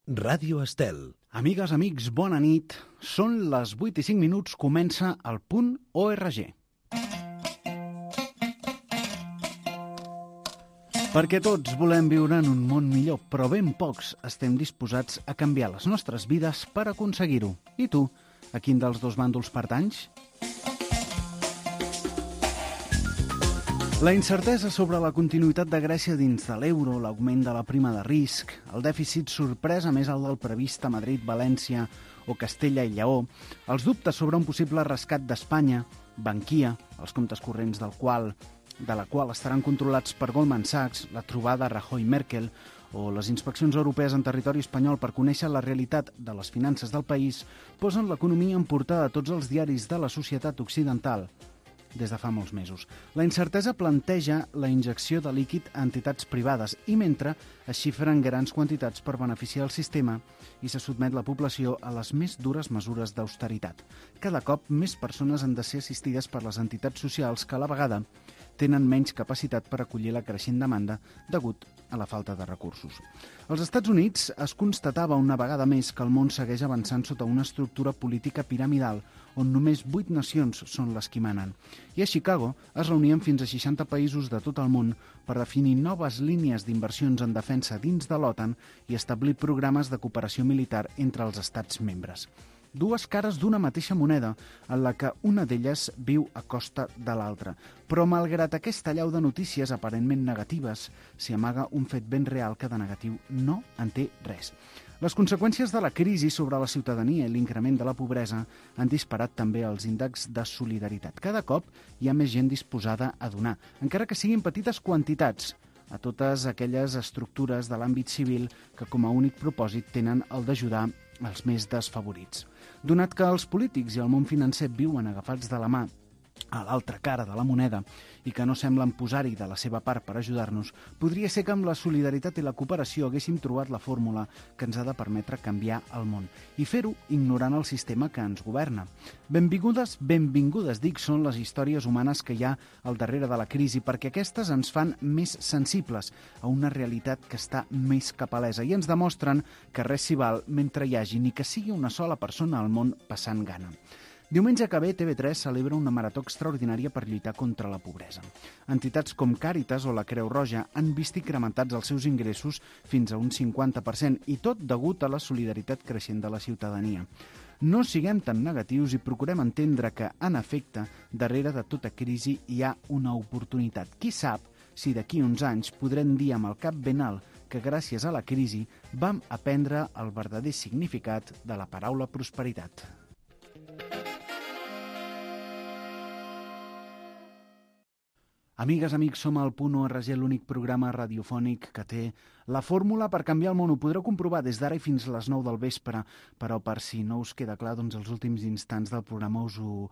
Ràdio Estel. Amigues, amics, bona nit. Són les 8 i 5 minuts, comença el .org. Perquè tots volem viure en un món millor, però ben pocs estem disposats a canviar les nostres vides per aconseguir-ho. I tu, a quin dels dos bàndols pertanys? La incertesa sobre la continuïtat de Grècia dins de l'euro, l'augment de la prima de risc, el dèficit sorpresa més alt del previst a Madrid, València o Castella i Lleó, els dubtes sobre un possible rescat d'Espanya, Bankia, els comptes corrents de la qual estaran controlats per Goldman Sachs, la trobada Rajoy-Merkel o les inspeccions europees en territori espanyol per conèixer la realitat de les finances del país, posen l'economia en portada a tots els diaris de la societat occidental des de fa molts mesos. La incertesa planteja la injecció de líquid a entitats privades i mentre es xifren grans quantitats per beneficiar el sistema i se sotmet la població a les més dures mesures d'austeritat. Cada cop més persones han de ser assistides per les entitats socials que a la vegada tenen menys capacitat per acollir la creixent demanda degut a la falta de recursos. Als Estats Units es constatava una vegada més que el món segueix avançant sota una estructura política piramidal on només 8 nacions són les que manen. I a Chicago es reunien fins a 60 països de tot el món per definir noves línies d'inversions en defensa dins de l'OTAN i establir programes de cooperació militar entre els estats membres. Dues cares d'una mateixa moneda, en la que una d'elles viu a costa de l'altra. Però malgrat aquesta allau de notícies aparentment negatives, s'hi amaga un fet ben real que de negatiu no en té res. Les conseqüències de la crisi sobre la ciutadania i l'increment de la pobresa han disparat també els índexs de solidaritat. Cada cop hi ha més gent disposada a donar, encara que siguin petites quantitats, a totes aquelles estructures de l'àmbit civil que com a únic propòsit tenen el d'ajudar els més desfavorits. Donat que els polítics i el món financer viuen agafats de la mà a l'altra cara de la moneda i que no semblen posar-hi de la seva part per ajudar-nos, podria ser que amb la solidaritat i la cooperació haguéssim trobat la fórmula que ens ha de permetre canviar el món i fer-ho ignorant el sistema que ens governa. Benvingudes, dic, són les històries humanes que hi ha al darrere de la crisi perquè aquestes ens fan més sensibles a una realitat que està més que palesa i ens demostren que res s'hi val mentre hi hagi ni que sigui una sola persona al món passant gana. Diumenge que ve, TV3 celebra una marató extraordinària per lluitar contra la pobresa. Entitats com Càritas o la Creu Roja han vist incrementats els seus ingressos fins a un 50% i tot degut a la solidaritat creixent de la ciutadania. No siguem tan negatius i procurem entendre que, en efecte, darrere de tota crisi hi ha una oportunitat. Qui sap si d'aquí uns anys podrem dir amb el cap ben alt que gràcies a la crisi vam aprendre el verdader significat de la paraula prosperitat. Amigues, amics, som al .org, l'únic programa radiofònic que té la fórmula per canviar el món. Ho podreu comprovar des d'ara i fins a les 9 del vespre, però per si no us queda clar, doncs els últims instants del programa us ho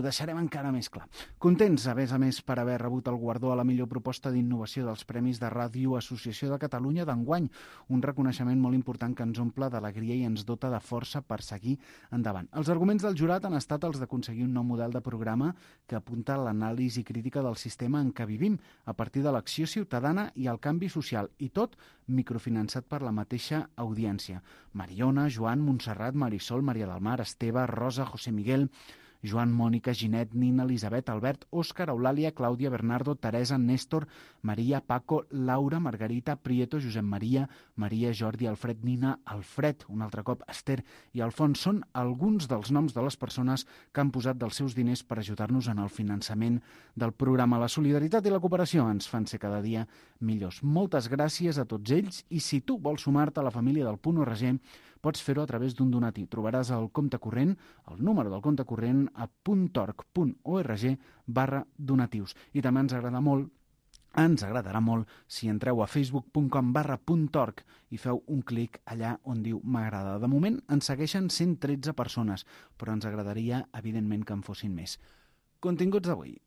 deixarem encara més clar. Contents, a més, per haver rebut el guardó a la millor proposta d'innovació dels Premis de Ràdio Associació de Catalunya d'enguany, un reconeixement molt important que ens omple d'alegria i ens dota de força per seguir endavant. Els arguments del jurat han estat els d'aconseguir un nou model de programa que apunta a l'anàlisi crítica del sistema en què vivim, a partir de l'acció ciutadana i el canvi social, i tot microfinançat per la mateixa audiència. Mariona, Joan, Montserrat, Marisol, Maria del Mar, Esteve, Rosa, José Miguel, Joan, Mònica, Ginet, Nina, Elisabet, Albert, Òscar, Eulàlia, Clàudia, Bernardo, Teresa, Néstor, Maria, Paco, Laura, Margarita, Prieto, Josep Maria, Maria, Jordi, Alfred, Nina, Alfred, un altre cop, Esther i Alfons són alguns dels noms de les persones que han posat dels seus diners per ajudar-nos en el finançament del programa. La solidaritat i la cooperació ens fan ser cada dia millors. Moltes gràcies a tots ells i si tu vols sumar-te a la família del .org, pots fer-ho a través d'un donatí. Trobaràs el compte corrent, el número del compte corrent a .org.org/donatius. I també ens agradarà molt si entreu a facebook.com/.org i feu un clic allà on diu m'agrada. De moment ens segueixen 113 persones, però ens agradaria, evidentment, que en fossin més. Continguts d'avui.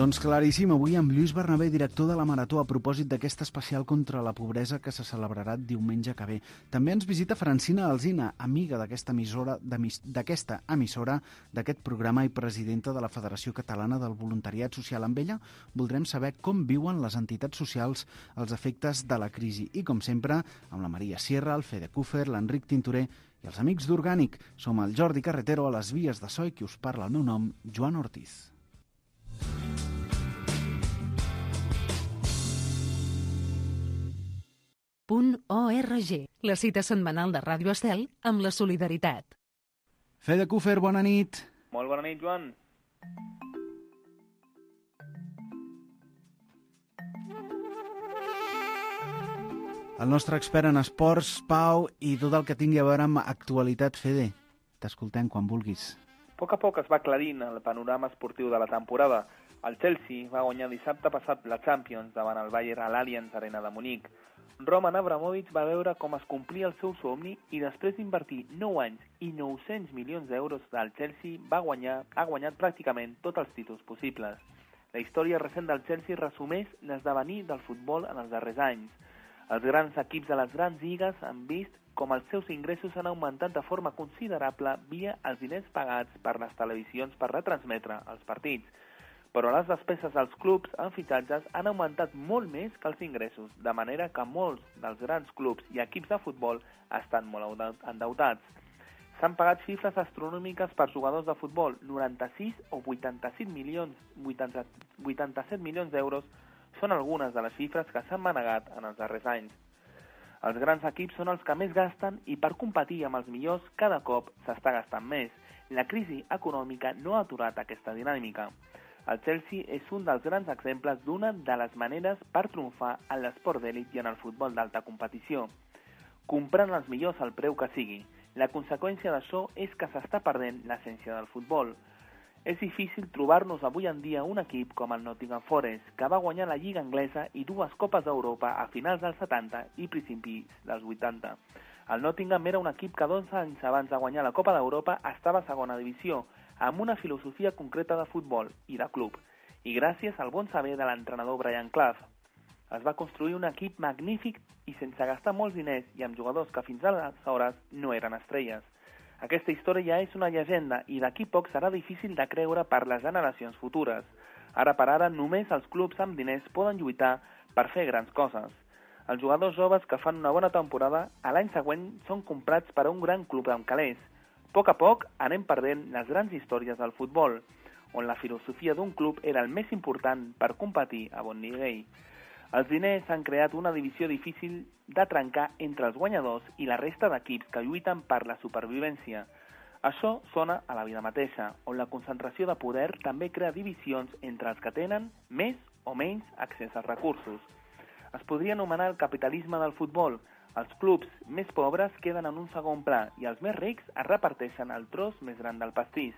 Doncs claríssim, avui amb Lluís Bernabé, director de la Marató, a propòsit d'aquesta especial contra la pobresa que se celebrarà diumenge que ve. També ens visita Francina Alsina, amiga d'aquesta emissora, d'aquest programa i presidenta de la Federació Catalana del Voluntariat Social. Amb ella voldrem saber com viuen les entitats socials els efectes de la crisi. I, com sempre, amb la Maria Sierra, el Fede Cúfer, l'Enric Tintoré i els amics d'Orgànic. Som el Jordi Carretero a les vies de so i qui us parla el meu nom, Joan Ortiz. .org, la cita setmanal de Ràdio Estel amb la solidaritat. Fede Cúfer, bona nit. Molt bona nit, Joan. El nostre expert en esports, Pau, i tot el que tingui a veure amb actualitat, Fede. T'escoltem quan vulguis. A poc es va aclarint el panorama esportiu de la temporada. El Chelsea va guanyar dissabte passat la Champions davant el Bayern a l'Allianz Arena de Munic. Roman Abramovich va veure com es complia el seu somni i després d'invertir 9 anys i 900 milions d'euros del Chelsea ha guanyat pràcticament tots els títols possibles. La història recent del Chelsea resumeix l'esdevenir del futbol en els darrers anys. Els grans equips de les grans lligues han vist com els seus ingressos han augmentat de forma considerable via els diners pagats per les televisions per retransmetre els partits. Però les despeses dels clubs en fitxatges han augmentat molt més que els ingressos, de manera que molts dels grans clubs i equips de futbol estan molt endeutats. S'han pagat xifres astronòmiques per jugadors de futbol, 96 o 87 milions d'euros són algunes de les xifres que s'han manegat en els darrers anys. Els grans equips són els que més gasten i per competir amb els millors cada cop s'està gastant més. La crisi econòmica no ha aturat aquesta dinàmica. El Chelsea és un dels grans exemples d'una de les maneres per triomfar en l'esport d'elit i en el futbol d'alta competició. Comprant els millors al preu que sigui. La conseqüència d'això és que s'està perdent l'essència del futbol. És difícil trobar-nos avui en dia un equip com el Nottingham Forest, que va guanyar la Lliga Anglesa i 2 Copes d'Europa a finals dels 70 i principis dels 80. El Nottingham era un equip que 12 anys abans de guanyar la Copa d'Europa estava a segona divisió, amb una filosofia concreta de futbol i de club, i gràcies al bon saber de l'entrenador Brian Clough. Es va construir un equip magnífic i sense gastar molts diners i amb jugadors que fins aleshores no eren estrelles. Aquesta història ja és una llegenda i d'aquí poc serà difícil de creure per les generacions futures. Ara per ara només els clubs amb diners poden lluitar per fer grans coses. Els jugadors joves que fan una bona temporada a l'any següent són comprats per a un gran club amb calés. A poc anem perdent les grans històries del futbol, on la filosofia d'un club era el més important per competir a bon nivell. Els diners han creat una divisió difícil de trencar entre els guanyadors i la resta d'equips que lluiten per la supervivència. Això sona a la vida mateixa, on la concentració de poder també crea divisions entre els que tenen més o menys accés als recursos. Es podria anomenar el capitalisme del futbol. Els clubs més pobres queden en un segon pla i els més rics es reparteixen el tros més gran del pastís.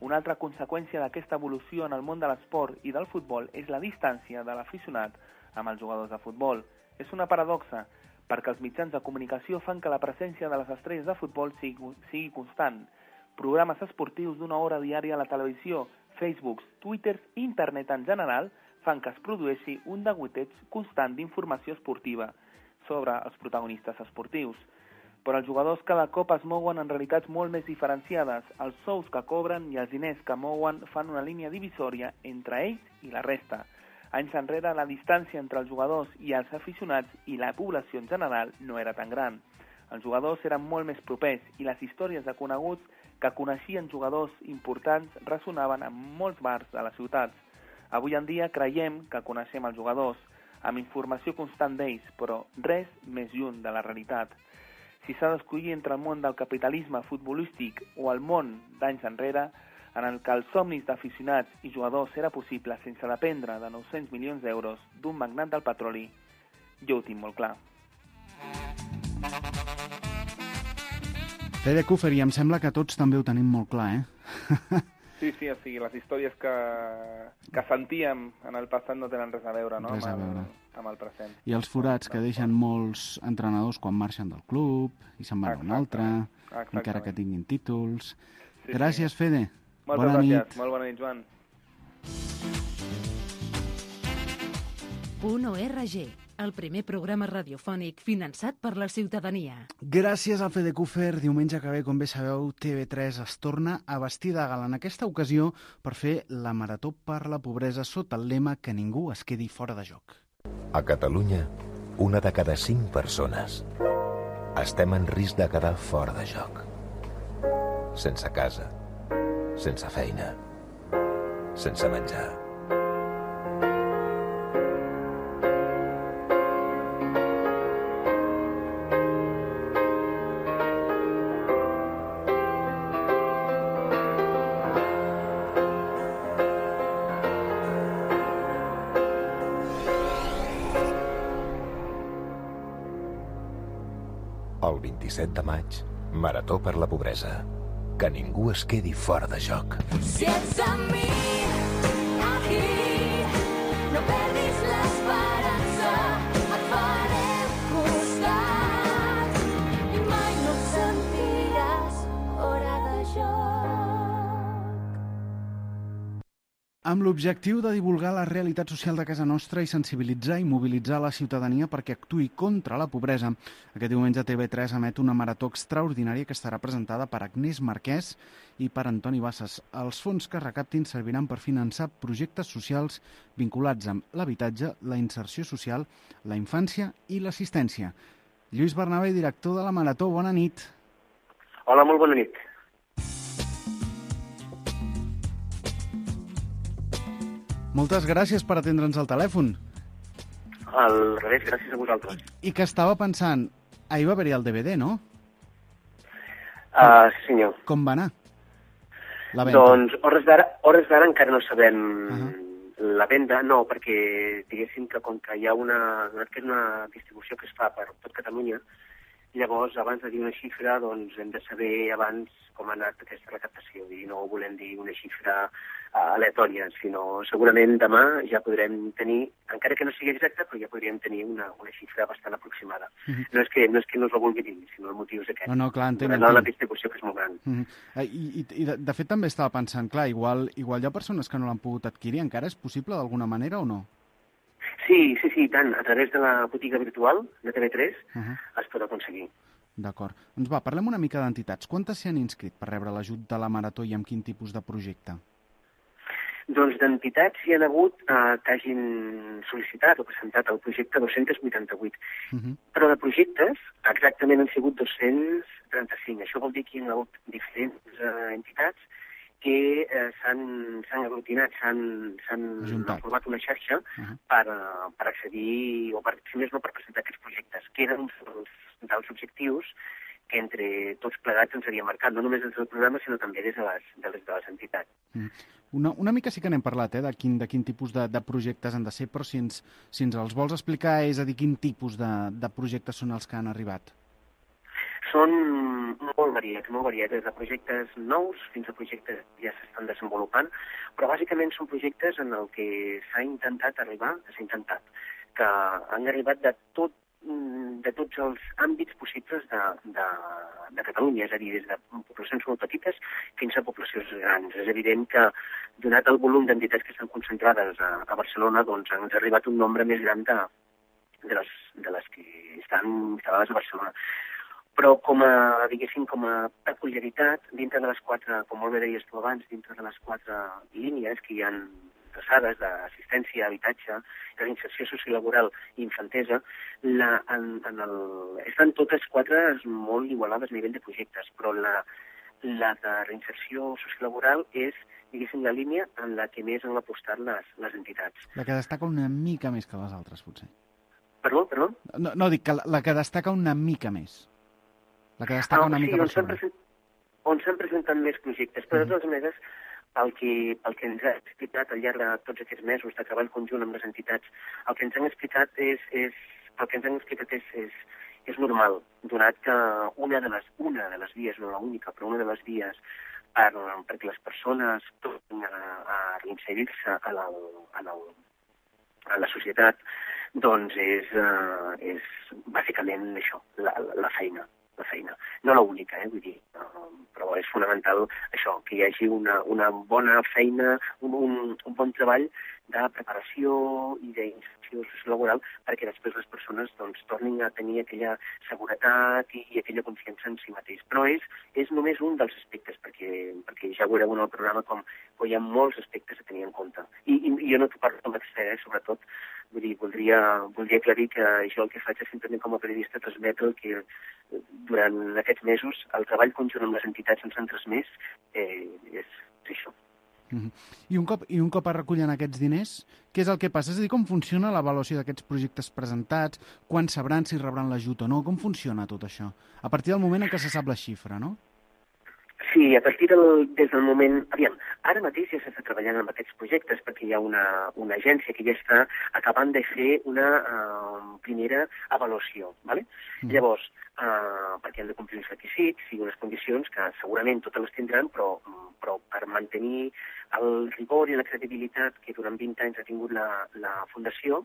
Una altra conseqüència d'aquesta evolució en el món de l'esport i del futbol és la distància de l'aficionat amb els jugadors de futbol. És una paradoxa, perquè els mitjans de comunicació fan que la presència de les estrelles de futbol sigui constant. Programes esportius d'1 hora diària a la televisió, Facebooks, Twitters i internet en general fan que es produeixi un degoteig constant d'informació esportiva sobre els protagonistes esportius. Però els jugadors cada cop es mouen en realitats molt més diferenciades. Els sous que cobren i els diners que mouen fan una línia divisòria entre ells i la resta. Anys enrere, la distància entre els jugadors i els aficionats i la població en general no era tan gran. Els jugadors eren molt més propers i les històries de coneguts que coneixien jugadors importants ressonaven en molts bars de les ciutats. Avui en dia creiem que coneixem els jugadors, amb informació constant d'ells, però res més lluny de la realitat. Si s'ha d'escollir entre el món del capitalisme futbolístic o el món d'anys enrere, en el que els somnis d'aficionats i jugadors era possible sense dependre de 900 milions d'euros d'un magnat del petroli, jo ho tinc molt clar. Fede Cúfer, i em sembla que tots també ho tenim molt clar, eh? Sí, o sigui, les històries que sentíem en el passat no tenen res a veure, no? Amb el present. I els forats que deixen molts entrenadors quan marxen del club i se'n van a un altre, encara que tinguin títols. Gràcies, Fede. Moltes gràcies. Molt bona nit, Joan. FEDECU.org, el primer programa radiofònic finançat per la ciutadania. Gràcies al FEDECUFER, diumenge que ve, com bé sabeu, TV3 es torna a vestir de gala en aquesta ocasió per fer la Marató per la Pobresa sota el lema que ningú es quedi fora de joc. A Catalunya, 1 de cada 5 persones estem en risc de quedar fora de joc. Sense casa, sense feina, sense menjar. El 27 de maig, Marató per la Pobresa. Que ningú es quedi fora de joc. Si ets amb mi, aquí, no perdis l'esperança, et farem costat i mai no et sentiràs fora de joc. Amb l'objectiu de divulgar la realitat social de casa nostra i sensibilitzar i mobilitzar la ciutadania perquè actuï contra la pobresa, aquest diumenge TV3 emet una marató extraordinària que estarà presentada per Agnès Marquès i per Antoni Bassas. Els fons que es recaptin serviran per finançar projectes socials vinculats amb l'habitatge, la inserció social, la infància i l'assistència. Lluís Bernabé, director de la Marató, bona nit. Hola, molt bona nit. Moltes gràcies per atendre'ns al telèfon. Al revés, gràcies a vosaltres. I que estava pensant, ahir va haver-hi el DVD, no? Sí, senyor. Com va anar? La venda. Doncs, hores d'ara encara no sabem la venda, no, perquè diguéssim que com que hi ha una distribució que es fa per tot Catalunya, llavors, abans de dir una xifra, doncs hem de saber abans com ha anat aquesta recaptació i no volem dir una xifra aleatòria, sinó segurament demà ja podrem tenir, encara que no sigui exacta, però ja podríem tenir una xifra bastant aproximada. No és que no us la vulgui dir, sinó el motiu és aquest. No, clar, entenc. La distribució que és molt gran. I de fet també estava pensant, clar, igual hi ha persones que no l'han pogut adquirir, encara és possible d'alguna manera o no? Sí, tant. A través de la botiga virtual de TV3 es pot aconseguir. D'acord. Doncs va, parlem una mica d'entitats. Quantes s'hi han inscrit per rebre l'ajut de la Marató i amb quin tipus de projecte? Doncs d'entitats hi ha hagut que hagin sol·licitat o presentat el projecte 288. Però de projectes exactament han sigut 235. Això vol dir que hi ha hagut diferents entitats que s'han aglutinat, s'han format una xarxa per accedir, o per, si més no, per presentar aquests projectes, que eren dels objectius que entre tots plegats ens havíem marcat, no només des del programa, sinó també des de les entitats. Una mica sí que n'hem parlat, de quin tipus de projectes han de ser, però si ens els vols explicar, és a dir, quin tipus de projectes són els que han arribat? Són molt variats, des de projectes nous fins a projectes que ja s'estan desenvolupant, però bàsicament són projectes en el que s'ha intentat, que han arribat de tots els àmbits possibles de Catalunya, és a dir, des de poblacions molt petites fins a poblacions grans. És evident que, donat el volum d'entitats que estan concentrades a Barcelona, doncs ens ha arribat un nombre més gran de les que estan instal·lades a Barcelona. Però com a peculiaritat, dintre de les 4, com molt bé deies tu abans, dintre de les 4 línies que hi ha traçades d'assistència, habitatge, de l'inserció sociolaboral i infantesa, estan totes 4 molt igualades a nivell de projectes, però la de reinserció sociolaboral és, diguéssim, la línia en la que més han apostat les entitats. La que destaca una mica més que les altres, potser. Perdó? No, dic que la que destaca una mica més. La que destaca una mica per sobre. On s'han presentat més projectes, però de totes maneres, pel que ens ha explicat al llarg de tots aquests mesos de treball conjunt amb les entitats, el que ens han explicat és normal, donat que una de les vies, no l'única, però una de les vies perquè les persones tornin a reinserir-se a la societat, doncs és bàsicament això, la feina. No l'única, vull dir, però és fonamental això, que hi hagi una bona feina, un bon treball de preparació i d'inserció laboral perquè després les persones doncs, tornin a tenir aquella seguretat i aquella confiança en si mateix. Però és només un dels aspectes, perquè ja veureu en el programa com hi ha molts aspectes a tenir en compte. I jo no t'ho parlo com a expert, sobretot, vull dir, voldria aclarir que jo el que faig és simplement com a periodista transmetre que durant aquests mesos el treball conjunt amb les entitats en s'han transmès és això. I un cop es recullen aquests diners, què és el que passa? És a dir, com funciona l'avaluació d'aquests projectes presentats? Quan sabran si rebran l'ajut o no? Com funciona tot això? A partir del moment en què se sap la xifra, no? Sí, a partir des del moment... Aviam, ara mateix ja s'està treballant amb aquests projectes perquè hi ha una agència que ja està acabant de fer una primera avaluació, ¿vale? Llavors, perquè han de complir uns requisits i unes condicions que segurament totes les tindran, però per mantenir el rigor i la credibilitat que durant 20 anys ha tingut la Fundació,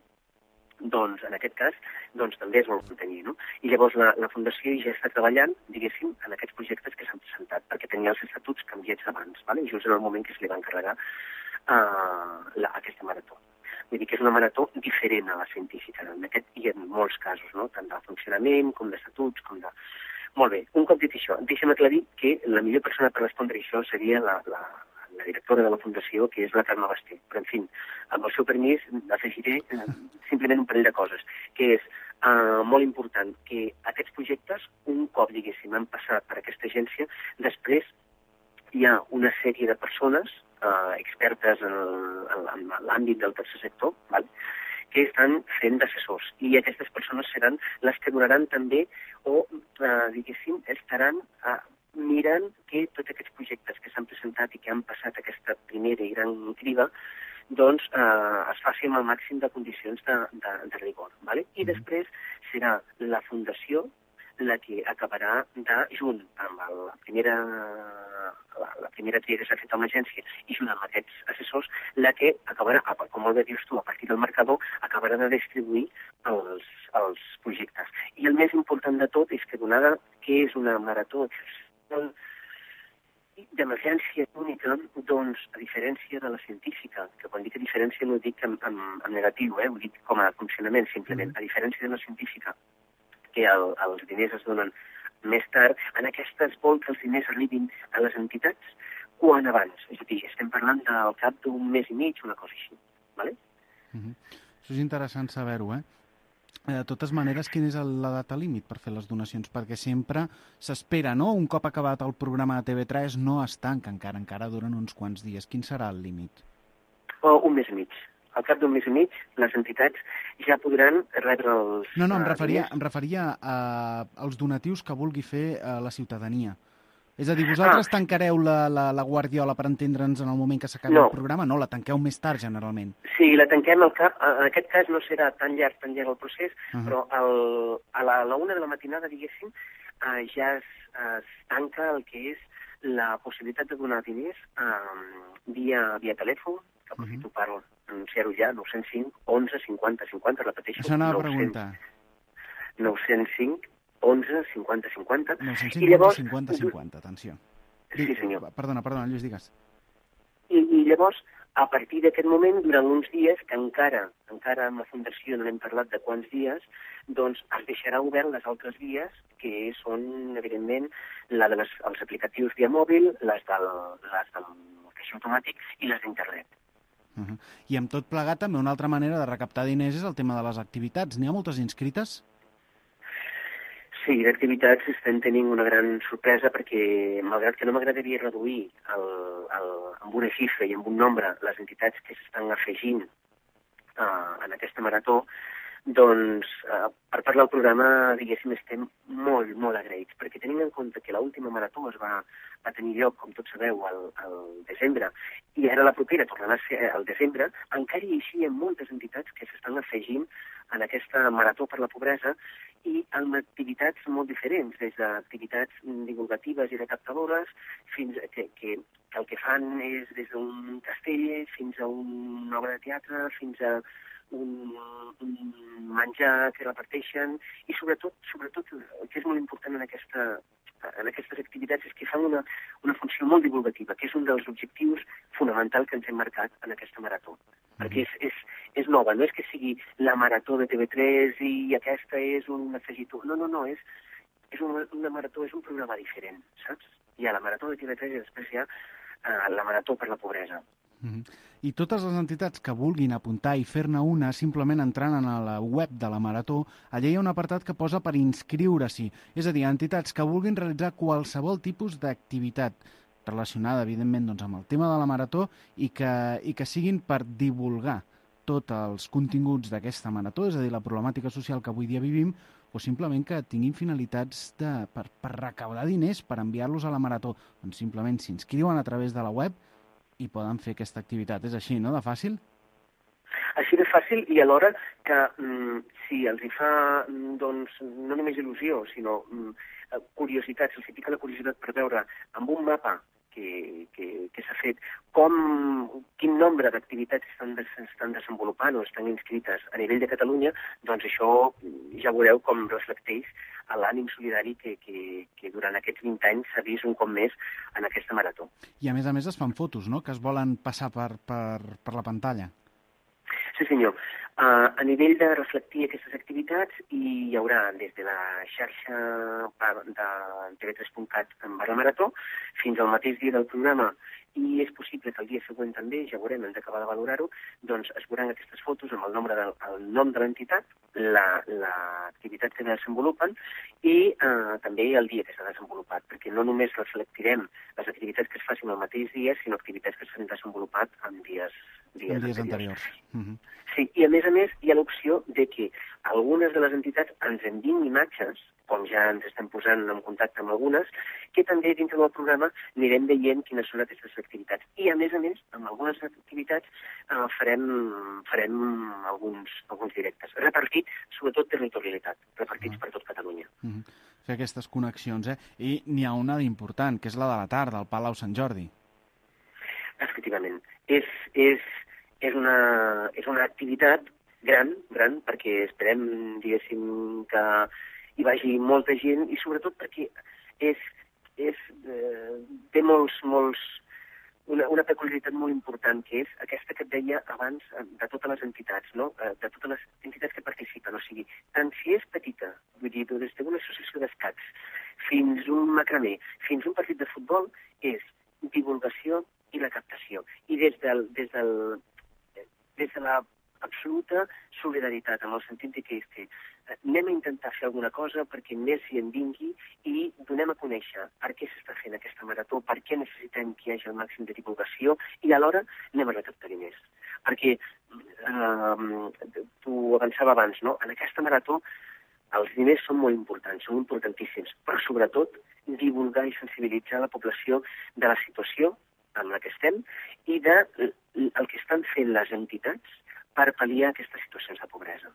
doncs, en aquest cas, doncs, també es vol mantenir, no? I llavors la Fundació ja està treballant, diguéssim, en aquests projectes que s'han presentat, perquè tenia els estatuts canviats abans, ¿vale? Just en el moment que se li va encarregar aquesta marató. Vull dir que és una marató diferent a la científica, en aquest i en molts casos, no? Tant de funcionament com d'estatuts, com de... Molt bé, un cop dit això, deixa'm aclarir que la millor persona per respondre això seria la directora de la Fundació, que és la Carme Basté. Però, en fi, amb el seu permís, afegiré simplement un parell de coses, que és molt important que aquests projectes, un cop, diguéssim, han passat per aquesta agència, després hi ha una sèrie de persones expertes en l'àmbit del tercer sector, val? Que estan fent d'assessors. I aquestes persones seran les que donaran també, o, diguéssim, estaran mirant que tots aquests projectes que s'han presentat i que han passat aquesta primera i gran criba, doncs es faci amb el màxim de condicions de rigor. ¿Vale? I després serà la Fundació la que acabarà junt amb la primera tria que s'ha fet amb l'agència i junt amb aquests assessors, la que acabarà, com molt bé dius tu, a partir del marcador, acabarà de distribuir els projectes. I el més important de tot és que, donada que és una marató d'emergència única, doncs, a diferència de la científica, que quan dic a diferència no ho dic en negatiu, ho dic com a funcionament, simplement, a diferència de la científica, que els diners es donen més tard, en aquesta es vol que els diners arribin a les entitats quan abans. És a dir, estem parlant del cap d'un mes i mig, una cosa així. ¿Vale? Això és interessant saber-ho, De totes maneres, quina és la data límit per fer les donacions? Perquè sempre s'espera, no? Un cop acabat el programa de TV3 no es tanca encara duren uns quants dies. Quin serà el límit? Un mes i mig. Al cap d'un mes i mig, les entitats ja podran rebre els... No, em referia als donatius que vulgui fer la ciutadania. És a dir, vosaltres tancareu la Guardiola, per entendre'ns, en el moment que s'acabi el programa? No, la tanqueu més tard, generalment. Sí, la tanquem al cap. En aquest cas no serà tan llarg el procés, però a la 1 de la matinada, diguéssim, ja es tanca el que és la possibilitat de donar diners via telèfon, que aprofito per anunciar-ho ja, 905 11 50 50, repeteixo. Això anava a preguntar. 905 11 50 50. 905 11 50 50, atenció. Sí, senyor. Perdona, Lluís, digues. I llavors, a partir d'aquest moment, durant uns dies, que encara amb la Fundació no n'hem parlat de quants dies, doncs es deixarà obert les altres vies, que són, evidentment, la dels aplicatius via mòbil, les del caixer automàtic i les d'internet. I amb tot plegat, també una altra manera de recaptar diners és el tema de les activitats. N'hi ha moltes inscrites? Sí, d'activitats estem tenint una gran sorpresa perquè, malgrat que no m'agradaria reduir amb una xifra i amb un nombre les entitats que s'estan afegint en aquesta marató, doncs, per part del programa, diguéssim, estem molt, molt agraïts, perquè tenint en compte que l'última marató es va tenir lloc, com tots sabeu, al desembre, i ara la propera tornarà a ser al desembre, encara hi ha moltes entitats que s'estan afegint en aquesta marató per la pobresa i amb activitats molt diferents, des d'activitats divulgatives i recaptadores, fins que el que fan és des d'un castell fins a una obra de teatre, fins a un menjar que reparteixen, i sobretot el que és molt important en aquestes activitats és que fan una funció molt divulgativa, que és un dels objectius fonamentals que ens hem marcat en aquesta marató. perquè és nova, no és que sigui la marató de TV3 i aquesta és un afegitó. No, és una marató, és un programa diferent, saps? Hi ha la marató de TV3 i després hi ha la marató per la pobresa. I totes les entitats que vulguin apuntar i fer-ne una, simplement entrant a la web de la Marató, allà hi ha un apartat que posa per inscriure-s'hi. És a dir, entitats que vulguin realitzar qualsevol tipus d'activitat relacionada, evidentment, doncs, amb el tema de la Marató i que siguin per divulgar tots els continguts d'aquesta Marató, és a dir, la problemàtica social que avui dia vivim, o simplement que tinguin finalitats per recaudar diners, per enviar-los a la Marató. Doncs simplement s'inscriuen a través de la web i poden fer aquesta activitat. És així, no?, de fàcil? Així de fàcil, i alhora que si els hi fa, doncs, no només il·lusió, sinó curiositat, se'ls pica la curiositat per veure amb un mapa que s'ha fet quin nombre d'activitats estan desenvolupant o estan inscrites a nivell de Catalunya, doncs això ja veureu com reflecteix l'ànim solidari que durant aquests 20 anys s'ha vist un cop més en aquesta marató. I a més es fan fotos, no?, que es volen passar per la pantalla. Sí, senyor. A nivell de reflectir aquestes activitats, hi haurà des de la xarxa de tv3.cat /marató fins al mateix dia del programa, i és possible que el dia següent també, ja veurem, hem d'acabar de valorar-ho, doncs es veuran aquestes fotos amb el nom de l'entitat, l'activitat que desenvolupen i també el dia que s'ha desenvolupat, perquè no només reflectirem les activitats que es facin el mateix dia, sinó activitats que s'han desenvolupat en dies anteriors. Sí, i a més hi ha l'opció de que algunes de les entitats ens enviïn imatges, com ja ens estem posant en contacte amb algunes, que també dintre del programa anirem veient quines són aquestes activitats. I a més, amb algunes activitats farem alguns directes, repartits, sobretot territorialitat, repartits per tot Catalunya. Fer aquestes connexions, I n'hi ha una d'important, que és la de la tarda, al Palau Sant Jordi. Efectivament. És una activitat gran, perquè esperem, diguéssim, que hi vagi molta gent i sobretot perquè té una peculiaritat molt important, que és aquesta que et deia abans de totes les entitats, no? De totes les entitats que participen. O sigui, tant si és petita, vull dir, des d'una associació d'escacs fins un macramé, fins un partit de futbol, és divulgació i la captació. I des de la absoluta solidaritat, en el sentit que anem a intentar fer alguna cosa perquè més hi en vingui i donem a conèixer per què s'està fent aquesta marató, per què necessitem que hi hagi el màxim de divulgació i alhora anem a recaptar diners. Perquè tu avançava abans, no? En aquesta marató els diners són molt importants, són importantíssims, però sobretot divulgar i sensibilitzar la població de la situació en la que estem i del que estan fent les entitats per pal·liar aquestes situacions de pobresa.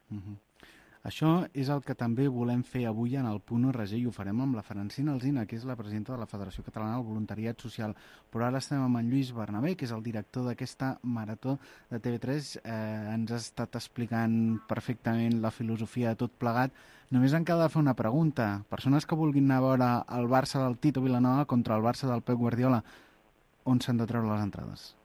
Això és el que també volem fer avui en el Punt RG i ho farem amb la Francina Alsina, que és la presidenta de la Federació Catalana del Voluntariat Social. Però ara estem amb en Lluís Bernabé, que és el director d'aquesta marató de TV3. Ens ha estat explicant perfectament la filosofia de tot plegat. Només en queda fer una pregunta. Persones que vulguin anar a veure el Barça del Tito Vilanova contra el Barça del Pep Guardiola, on s'han de treure les entrades?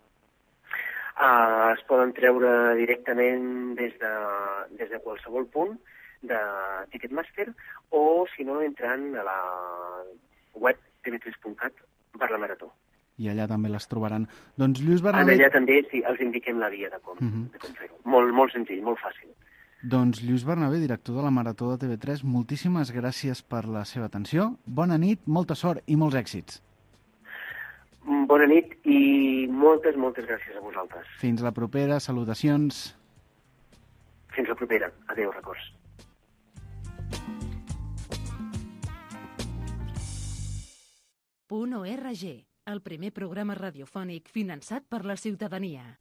Es poden treure directament des de qualsevol punt de Ticketmaster o, si no, entrant a la web tv3.cat /marató. I allà també les trobaran. Doncs Lluís Bernabé... Allà també sí, els indiquem la via de com fer-ho. Molt senzill, molt fàcil. Doncs Lluís Bernabé, director de la Marató de TV3, moltíssimes gràcies per la seva atenció. Bona nit, molta sort i molts èxits. Bona nit i moltes gràcies a vosaltres. Fins la propera, salutacions. Fins la propera. Adéu, records. .org, el primer programa radiofònic finançat per la ciutadania.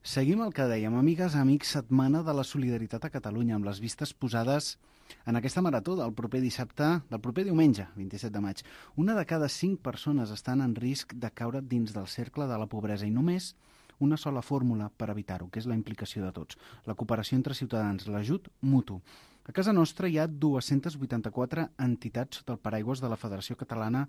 Seguim el que dèiem, amigues, amics, setmana de la solidaritat a Catalunya, amb les vistes posades en aquesta marató del proper diumenge, 27 de maig. Una de cada 5 persones estan en risc de caure dins del cercle de la pobresa i només una sola fórmula per evitar-ho, que és la implicació de tots, la cooperació entre ciutadans, l'ajut mutu. A casa nostra hi ha 284 entitats sota el paraigües de la Federació Catalana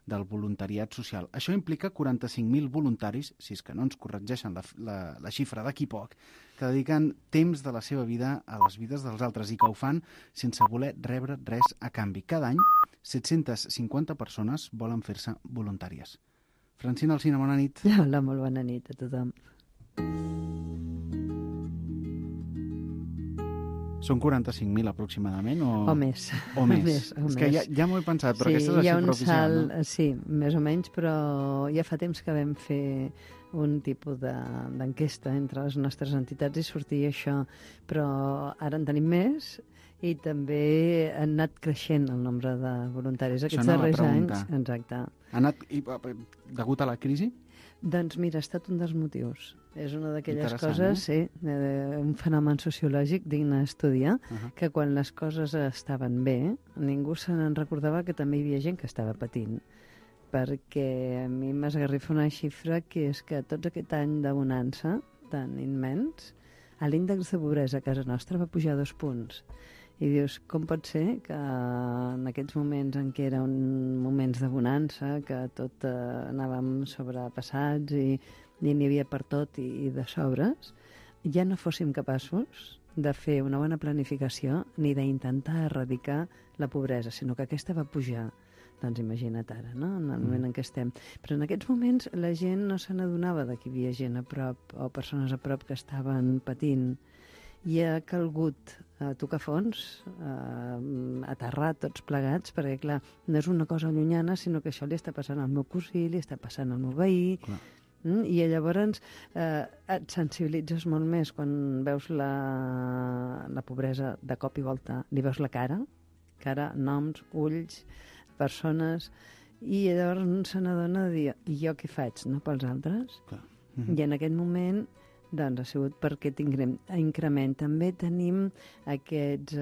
del Voluntariat Social. Això implica 45.000 voluntaris, si és que no ens corregeixen la xifra d'aquí poc, que dediquen temps de la seva vida a les vides dels altres i que ho fan sense voler rebre res a canvi. Cada any, 750 persones volen fer-se voluntàries. Francina Alsina, bona nit. Hola, molt bona nit a tothom. Són 45.000 aproximadament? O més. O més. És que ja m'ho he pensat, però aquesta és la xifra oficial, no? Sí, més o menys, però ja fa temps que vam fer un tipus d'enquesta entre les nostres entitats i sortia això. Però ara en tenim més i també ha anat creixent el nombre de voluntaris aquests darrers anys. Exacte. Ha anat degut a la crisi? Doncs mira, ha estat un dels motius. És una d'aquelles coses, sí, un fenomen sociològic digne d'estudiar, que quan les coses estaven bé, ningú se n'en recordava que també hi havia gent que estava patint. Perquè a mi m'esgarrifa una xifra que és que tots aquest any de bonança tan immens, l'índex de pobresa a casa nostra va pujar 2 punts. I dius, com pot ser que en aquests moments en què eren moments de bonança, que tot anàvem sobrepassats i n'hi havia per tot i de sobres, ja no fóssim capaços de fer una bona planificació ni d'intentar erradicar la pobresa, sinó que aquesta va pujar. Doncs imagina't ara, no?, en el moment en què estem. Però en aquests moments la gent no se n'adonava que hi havia gent a prop o persones a prop que estaven patint. I ha calgut tocar fons, aterrar tots plegats, perquè, clar, no és una cosa llunyana, sinó que això li està passant al meu cosí, li està passant al meu veí, i llavors et sensibilitzes molt més quan veus la pobresa de cop i volta, li veus la cara, noms, ulls, persones, i llavors se n'adona de dir, i jo què faig, no, pels altres? I en aquest moment doncs ha sigut per aquest increment. També tenim aquests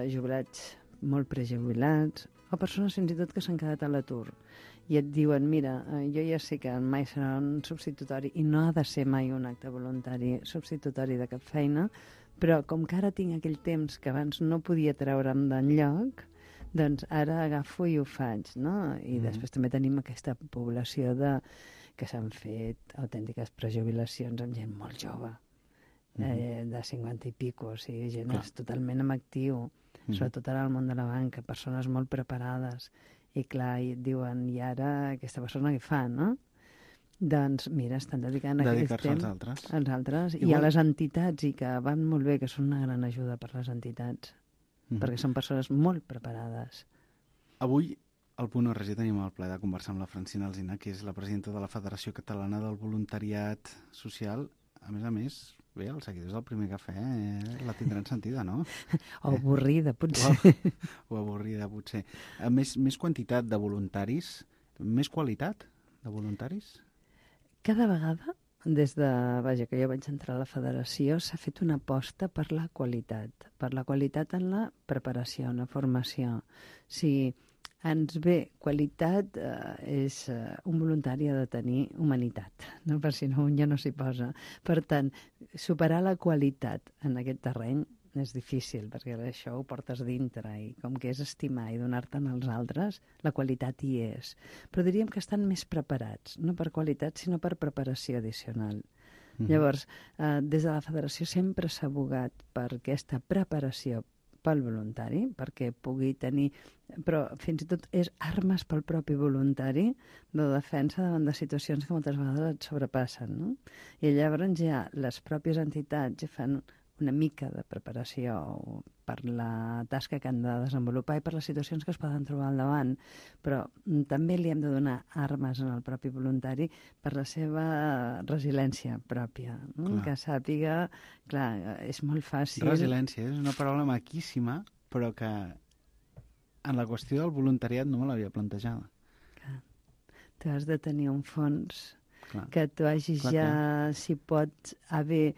jubilats molt prejubilats o persones fins i tot que s'han quedat a l'atur i et diuen, mira, jo ja sé que mai serà un substitutori i no ha de ser mai un acte voluntari substitutori de cap feina, però com que ara tinc aquell temps que abans no podia treure'm d'enlloc, doncs ara agafo i ho faig, no? I després també tenim aquesta població que s'han fet autèntiques prejubilacions amb gent molt jove, de 50 i pico, o sigui, gent totalment en actiu, sobretot ara al món de la banca, persones molt preparades, i clar, i et diuen, i ara aquesta persona què fa, no? Doncs mira, estan dedicant aquest temps als altres i a les entitats, i que van molt bé, que són una gran ajuda per les entitats, perquè són persones molt preparades. Avui al Punt RG tenim el plaer de conversar amb la Francina Alsina, que és la presidenta de la Federació Catalana del Voluntariat Social. A més, bé, els seguidors del Primer Cafè la tindran sentida, no? O avorrida, potser. O avorrida, potser. Més quantitat de voluntaris, més qualitat de voluntaris? Cada vegada, des de que jo vaig entrar a la federació, s'ha fet una aposta per la qualitat en la preparació, en la formació. Si ens ve qualitat, un voluntari ha de tenir humanitat, no? Per si no, un ja no s'hi posa. Per tant, superar la qualitat en aquest terreny és difícil, perquè això ho portes dintre, i com que és estimar i donar-te'n als altres, la qualitat hi és. Però diríem que estan més preparats, no per qualitat, sinó per preparació addicional. Llavors, des de la federació sempre s'ha abogat per aquesta preparació pel voluntari, perquè pugui tenir, però fins i tot és armes pel propi voluntari de defensa davant de situacions que moltes vegades et sobrepassen, no? I llavors ja les pròpies entitats ja fan una mica de preparació per la tasca que han de desenvolupar i per les situacions que es poden trobar al davant, però també li hem de donar armes al propi voluntari per la seva resiliència pròpia, no? Que sàpiga, clar, és molt fàcil... Resiliència és una paraula maquíssima, però que en la qüestió del voluntariat no me l'havia plantejada. Clar. Tu has de tenir un fons que tu hagis si pots haver...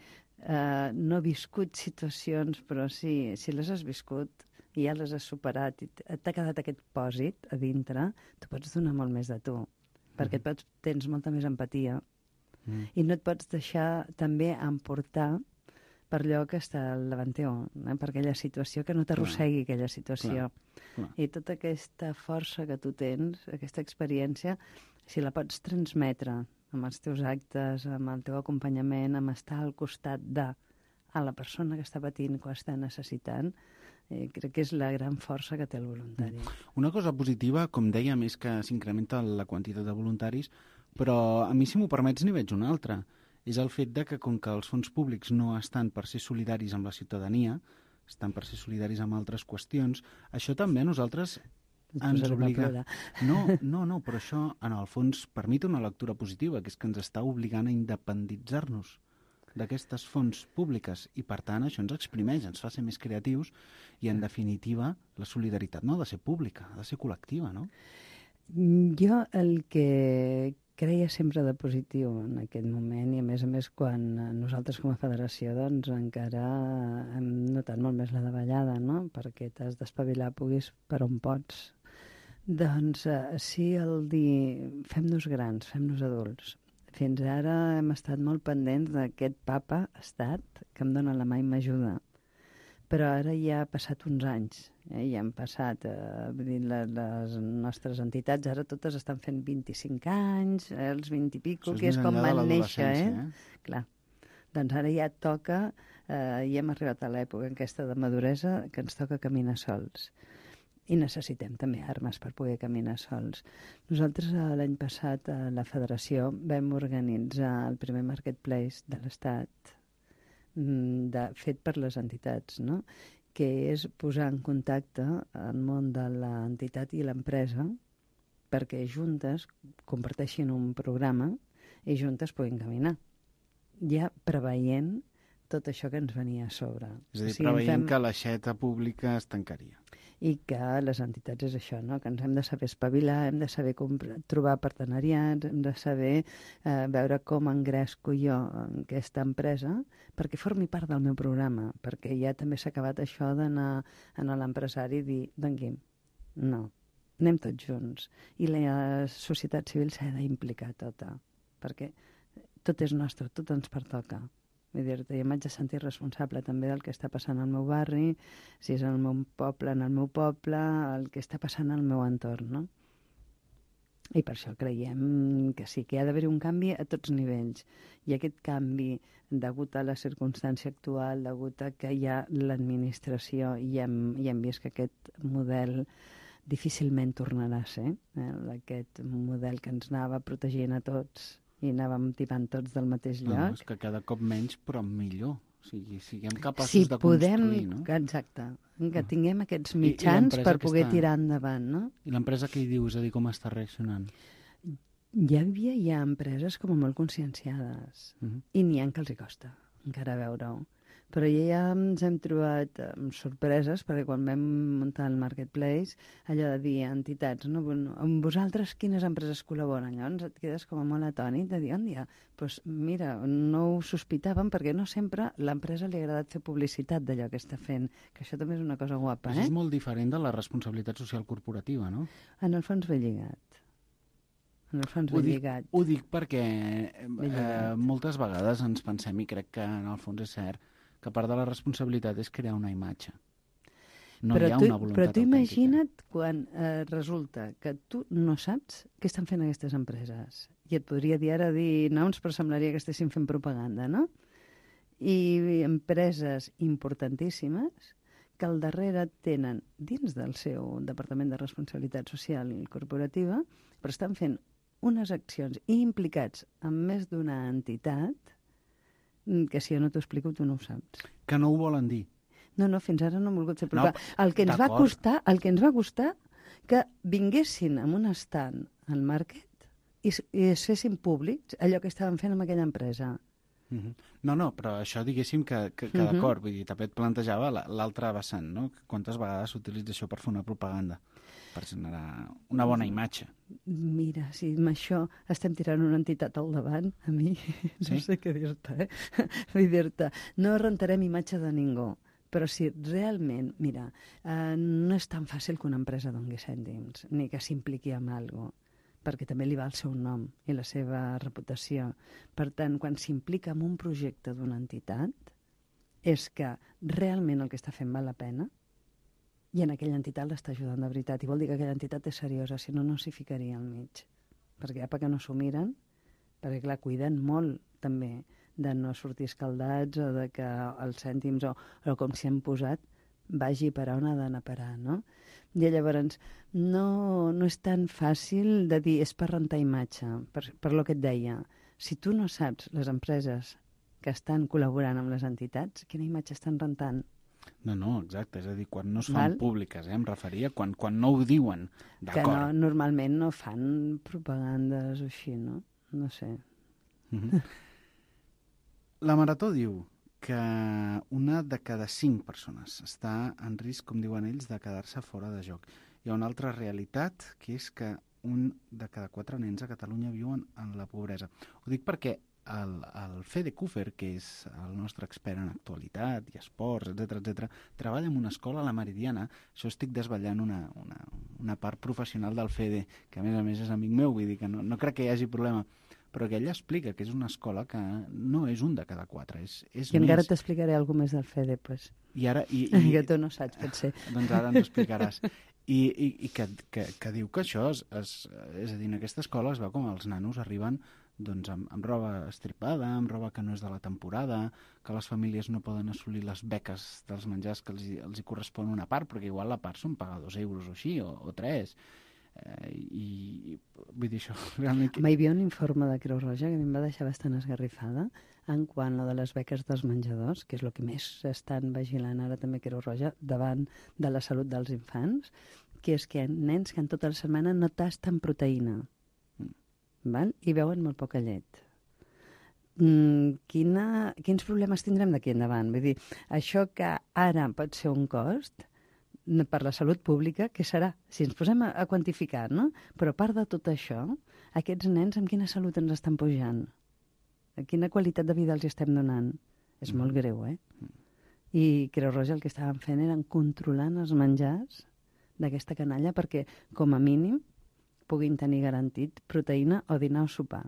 no viscut situacions, però si les has viscut i ja les has superat i t'ha quedat aquest pòsit a dintre, tu pots donar molt més de tu, perquè tens molta més empatia i no et pots deixar també emportar per allò que està al davant teu, per aquella situació, que no t'arrossegui aquella situació. Clar. I tota aquesta força que tu tens, aquesta experiència, si la pots transmetre amb els teus actes, amb el teu acompanyament, amb estar al costat a la persona que està patint, que ho està necessitant, crec que és la gran força que té el voluntari. Una cosa positiva, com dèiem, és que s'incrementa la quantitat de voluntaris, però a mi, si m'ho permets, n'hi veig una altra. És el fet de que, com que els fons públics no estan per ser solidaris amb la ciutadania, estan per ser solidaris amb altres qüestions, això també a nosaltres ens obliga... No, però això, en el fons, permet una lectura positiva, que és que ens està obligant a independitzar-nos d'aquestes fonts públiques i, per tant, això ens exprimeix, ens fa ser més creatius i, en definitiva, la solidaritat no ha de ser pública, ha de ser col·lectiva, no? Jo el que creia sempre de positiu en aquest moment, i a més quan nosaltres com a federació doncs encara hem notat molt més la davallada, no? Perquè t'has d'espavilar, puguis per on pots. Doncs sí, el dir fem-nos grans, fem-nos adults. Fins ara hem estat molt pendents d'aquest papa estat que em dóna la mà i m'ajuda. Però ara ja ha passat uns anys, ja han passat, les nostres entitats ara totes estan fent 25 anys, els 20 i pico, que és com van néixer, Clar. Doncs ara ja toca, ja hem arribat a l'època aquesta de maduresa que ens toca caminar sols. I necessitem també armes per poder caminar sols. Nosaltres l'any passat a la federació vam organitzar el primer marketplace de l'Estat, fet per les entitats, no? Que és posar en contacte el món de l'entitat i l'empresa perquè juntes comparteixin un programa i juntes puguin caminar, ja preveient tot això que ens venia a sobre. És a dir, preveient que l'aixeta pública es tancaria. I que les entitats és això, no? Que ens hem de saber espavilar, hem de saber trobar partenariats, hem de saber veure com engresco jo en aquesta empresa perquè formi part del meu programa, perquè ja també s'ha acabat això d'anar a l'empresari i dir, Guim, no, anem tots junts. I la societat civil s'ha d'implicar tota, perquè tot és nostre, tot ens pertoca. Vull dir-te, jo m'haig de sentir responsable també del que està passant al meu barri, si és al meu poble, en el meu poble, el que està passant al meu entorn, no? I per això creiem que sí, que hi ha d'haver un canvi a tots nivells. I aquest canvi, degut a la circumstància actual, degut a que hi ha l'administració, i hem vist que aquest model difícilment tornarà a ser, aquest model que ens anava protegint a tots, i anàvem tipant tots del mateix lloc. No, és que cada cop menys, però millor. O sigui, siguem capaços de construir, no? Exacte, que tinguem aquests mitjans per poder tirar endavant, no? I l'empresa què hi diu? És a dir, com està reaccionant? Hi ha empreses com molt conscienciades i n'hi ha que els hi costa encara veure-ho. Però ja ens hem trobat amb sorpreses, perquè quan vam muntar el Marketplace, allò de dir a entitats, no? Amb vosaltres quines empreses col·laboren? Llavors et quedes com a molt atònit de dir, doncs mira, no ho sospitàvem perquè no sempre l'empresa li ha agradat fer publicitat d'allò que està fent, que això també és una cosa guapa, Això és molt diferent de la responsabilitat social corporativa, no? En el fons ve lligat. Ho dic perquè moltes vegades ens pensem, i crec que en el fons és cert, que part de la responsabilitat és crear una imatge. No hi ha una voluntat però tu autèntica. imagina't quan resulta que tu no saps què estan fent aquestes empreses. I et podria dir ara noms, però semblaria que estessin fent propaganda, no? I empreses importantíssimes que al darrere tenen, dins del seu Departament de Responsabilitat Social i Corporativa, però estan fent unes accions i implicats en més d'una entitat que si jo no t'ho explico tu no ho saps. Que no ho volen dir. No, fins ara no han volgut fer propaganda. El que ens va costar que vinguessin amb un stand al market i es fessin públics allò que estaven fent amb aquella empresa. No, però això diguéssim que d'acord, vull dir, també et plantejava l'altre vessant, no? Quantes vegades s'utilitza això per fer una propaganda, per generar una bona imatge. Mira, si amb això estem tirant una entitat al davant, a mi no sé què dir-te, Vull dir-te, no rentarem imatge de ningú, però si realment, mira, no és tan fàcil que una empresa doni cèntims, ni que s'impliqui en alguna cosa, perquè també li va el seu nom i la seva reputació. Per tant, quan s'implica en un projecte d'una entitat, és que realment el que està fent val la pena i en aquella entitat l'està ajudant de veritat. I vol dir que aquella entitat és seriosa, si no, no s'hi ficaria al mig. Perquè perquè no s'ho miren, perquè clar, cuiden molt també de no sortir escaldats o de que els cèntims o com s'hi han posat vagi per on ha d'anar a parar, no? I llavors no és tan fàcil de dir és per rentar imatge, per lo que et deia. Si tu no saps les empreses que estan col·laborant amb les entitats, quina imatge estan rentant? No, exacte, és a dir, quan no es fan públiques, em referia, quan no ho diuen, d'acord. Que no, normalment no fan propagandes o així, no? No sé. La Marató diu que una de cada 5 persones està en risc, com diuen ells, de quedar-se fora de joc. Hi ha una altra realitat, que és que un de cada 4 nens a Catalunya viuen en la pobresa. Ho dic perquè el Fede Kufer, que és el nostre expert en actualitat i esports, etc, treballa en una escola a la Meridiana. Això estic desvetllant una part professional del Fede, que a més és amic meu, vull dir que no crec que hi hagi problema, però que ella explica que és una escola que no és un de cada 4, és més. I encara t'explicaré alguna més del Fede, pues. Que tu no saps, potser. Doncs ara ens ho explicaràs. I que diu que això és a dir, en aquesta escola es veu com els nanos arriben doncs amb roba estripada, amb roba que no és de la temporada, que les famílies no poden assolir les beques dels menjars que els hi correspon una part, perquè igual la part són pagar 2 euros o així, o 3. I vull dir això realment... Hi havia un informe de Creu Roja que a mi em va deixar bastant esgarrifada en quant a de les beques dels menjadors, que és el que més estan vigilant ara també Creu Roja davant de la salut dels infants, que és que nens que en tota la setmana no tasten proteïna, val? I beuen molt poca llet. Quins problemes tindrem d'aquí endavant? Vull dir, això que ara pot ser un cost per la salut pública, què serà? Si ens posem a quantificar, no? Però a part de tot això, aquests nens amb quina salut ens estan pujant? Quina qualitat de vida els estem donant? És molt greu, I Creu Roja el que estaven fent eren controlant els menjars d'aquesta canalla perquè, com a mínim, puguin tenir garantit proteïna o dinar o sopar.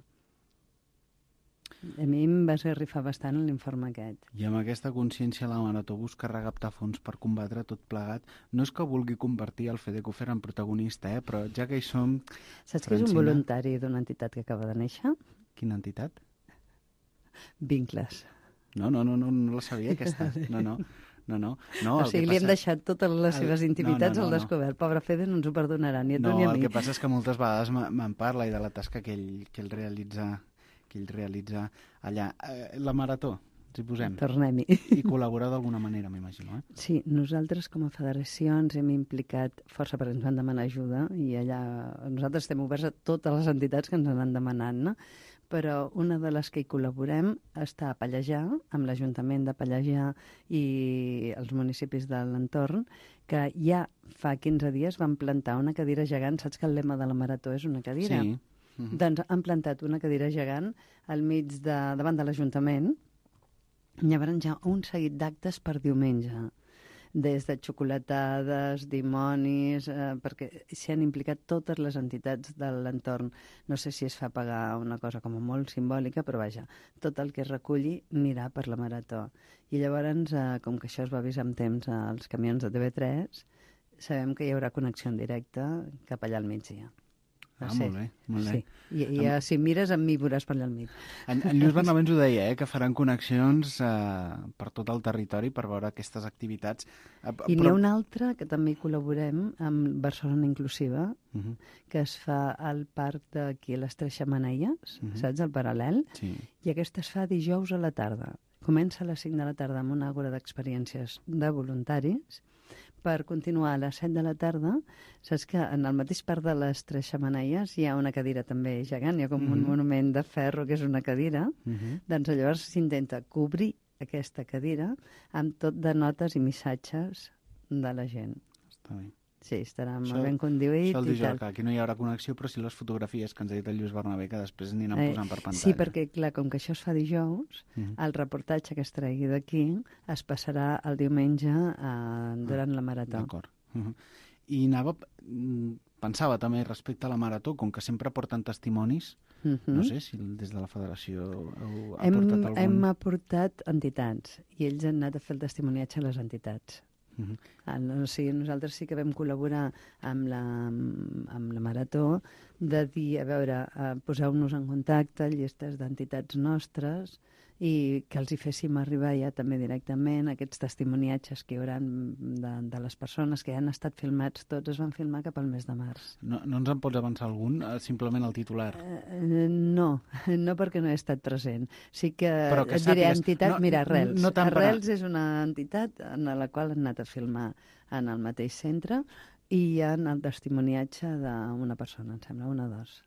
A mi em va esgarrifar bastant l'informe aquest. I amb aquesta consciència la Marató busca recaptar fons per combatre tot plegat. No és que vulgui convertir el Fede Kufer en protagonista, però ja que hi som... Saps que és un voluntari d'una entitat que acaba de néixer? Quina entitat? Vincles. No la sabia, aquesta. No. O sigui, li hem deixat totes les seves intimitats al descobert. Pobre Fede, no ens ho perdonarà, ni a tu ni a mi. El que passa és que moltes vegades me'n parla i de la tasca que ell realitza allà. La Marató, ens hi posem. Tornem-hi. I col·labora d'alguna manera, m'imagino, Sí, nosaltres com a federació ens hem implicat força perquè ens van demanar ajuda i allà nosaltres estem oberts a totes les entitats que ens han demanat, no? Però una de les que hi col·laborem està a Pallejà, amb l'Ajuntament de Pallejà i els municipis de l'entorn, que ja fa 15 dies van plantar una cadira gegant. Saps que el lema de la Marató és una cadira? Sí. Doncs han plantat una cadira gegant al mig davant de l'Ajuntament. Llavors hi ha un seguit d'actes per diumenge, des de xocolatades, dimonis, perquè s'hi han implicat totes les entitats de l'entorn. No sé si es fa pagar una cosa com a molt simbòlica, però vaja, tot el que es reculli anirà per la Marató. I llavors, com que això es va avisar amb temps als camions de TV3, sabem que hi haurà connexió en directe cap allà al migdia. Molt bé. Sí. I si mires amb mi veuràs per allà al mig. En Lluís Bernabé ens ho deia, que faran connexions per tot el territori per veure aquestes activitats. I n'hi ha una altra que també hi col·laborem amb Barcelona Inclusiva, que es fa al parc d'aquí a les Tres Xemeneies, saps, al Paral·lel? Sí. I aquesta es fa dijous a la tarda. Comença a les 5 de la tarda amb una àgora d'experiències de voluntaris, per continuar a les 7 de la tarda. Saps que en el mateix parc de les Tres Xemeneies hi ha una cadira també gegant, hi ha com un monument de ferro que és una cadira, doncs llavors s'intenta cobrir aquesta cadira amb tot de notes i missatges de la gent. Està bé. Sí, estarà molt ben conduït. Això el dijous, que aquí no hi haurà connexió, però sí les fotografies que ens ha dit el Lluís Bernabé, que després aniran posant per pantalla. Sí, perquè, clar, com que això es fa dijous, el reportatge que es tregui d'aquí es passarà el diumenge durant la Marató. D'acord. I pensava també respecte a la Marató, com que sempre porten testimonis, No sé si des de la federació heu aportat algun... Hem aportat entitats i ells han anat a fer el testimoniatge a les entitats. O sigui, nosaltres sí que vam col·laborar amb la Marató de dir, a veure, poseu-nos en contacte llistes d'entitats nostres i que els hi féssim arribar ja també directament aquests testimoniatges que hi haurà de les persones que han estat filmats. Tots es van filmar cap al mes de març. No ens en pots avançar algun? Simplement el titular? No perquè no he estat present. Sí que et diré entitat, mira, Arrels. No Arrels és una entitat en la qual han anat a filmar en el mateix centre i hi ha el testimoniatge d'una persona, em sembla, una o dos.